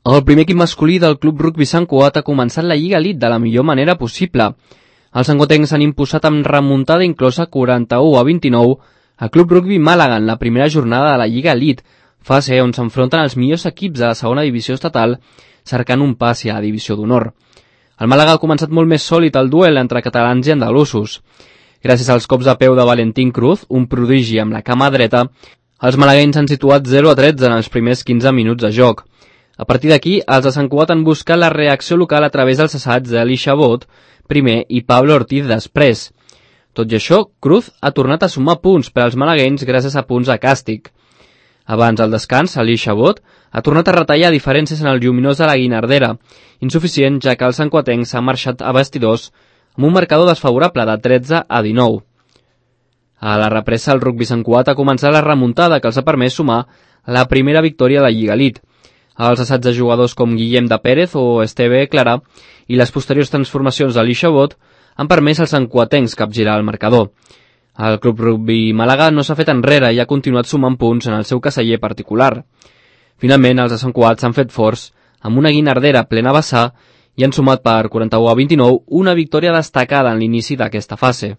El primer equip masculí del Club Rugbi Sant Cugat ha començat la Lliga Elite de la millor manera possible. Els santcuatencs s'han imposat amb remuntada inclosa 41-29 al Club Rugbi Màlaga en la primera jornada de la Lliga Elite, fase on s'enfronten els millors equips de la segona divisió estatal cercant un passi a la divisió d'honor. El Màlaga ha començat molt més sòlid el duel entre catalans i andalusos. Gràcies als cops de peu de Valentín Cruz, un prodigi amb la cama dreta, els malaguenys s'han situat 0-13 en els primers 15 minuts de joc. A partir d'aquí, els de Sant Cugat han buscat la reacció local a través dels assaigs d'Eli Chabot, primer, i Pablo Ortiz després. Tot i això, Cruz ha tornat a sumar punts per als malaguenys gràcies a punts de càstig. Abans del descans, Eli Chabot ha tornat a retallar diferències en el lluminós de la Guinardera, insuficient ja que el santcuatenc s'ha marxat a vestidors amb un marcador desfavorable de 13-19. A la represa, el Rugbi Sant Cugat ha començat la remuntada que els ha permès sumar la primera victòria a la Lliga Elite. Els assaigs de jugadors com Guillem de Pérez o Esteve Clara i les posteriors transformacions d'Eli Chabot han permès als santcuatencs capgirar el marcador. El Club Rugbi Màlaga no s'ha fet enrere i ha continuat sumant punts en el seu caseller particular. Finalment, els de Sant Cugat s'han fet forts amb una Guinardera plena vessar i han sumat per 41-29 una victòria destacada en l'inici d'aquesta fase.